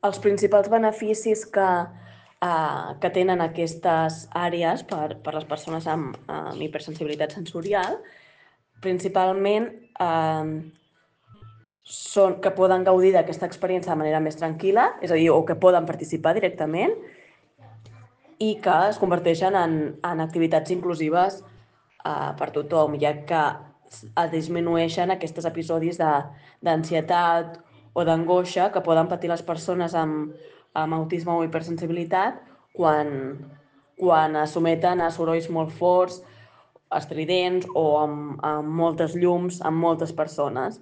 els principals beneficis que tenen aquestes àrees per les persones amb hipersensibilitat sensorial, principalment són que poden gaudir d'aquesta experiència de manera més tranquil·la, és a dir, o que poden participar directament, i que es converteixen en activitats inclusives per tothom, ja que es disminueixen aquests episodis d'ansietat o d'angoixa que poden patir les persones amb autisme o hipersensibilitat quan es someten a sorolls molt forts, estridents o amb moltes llums, amb moltes persones.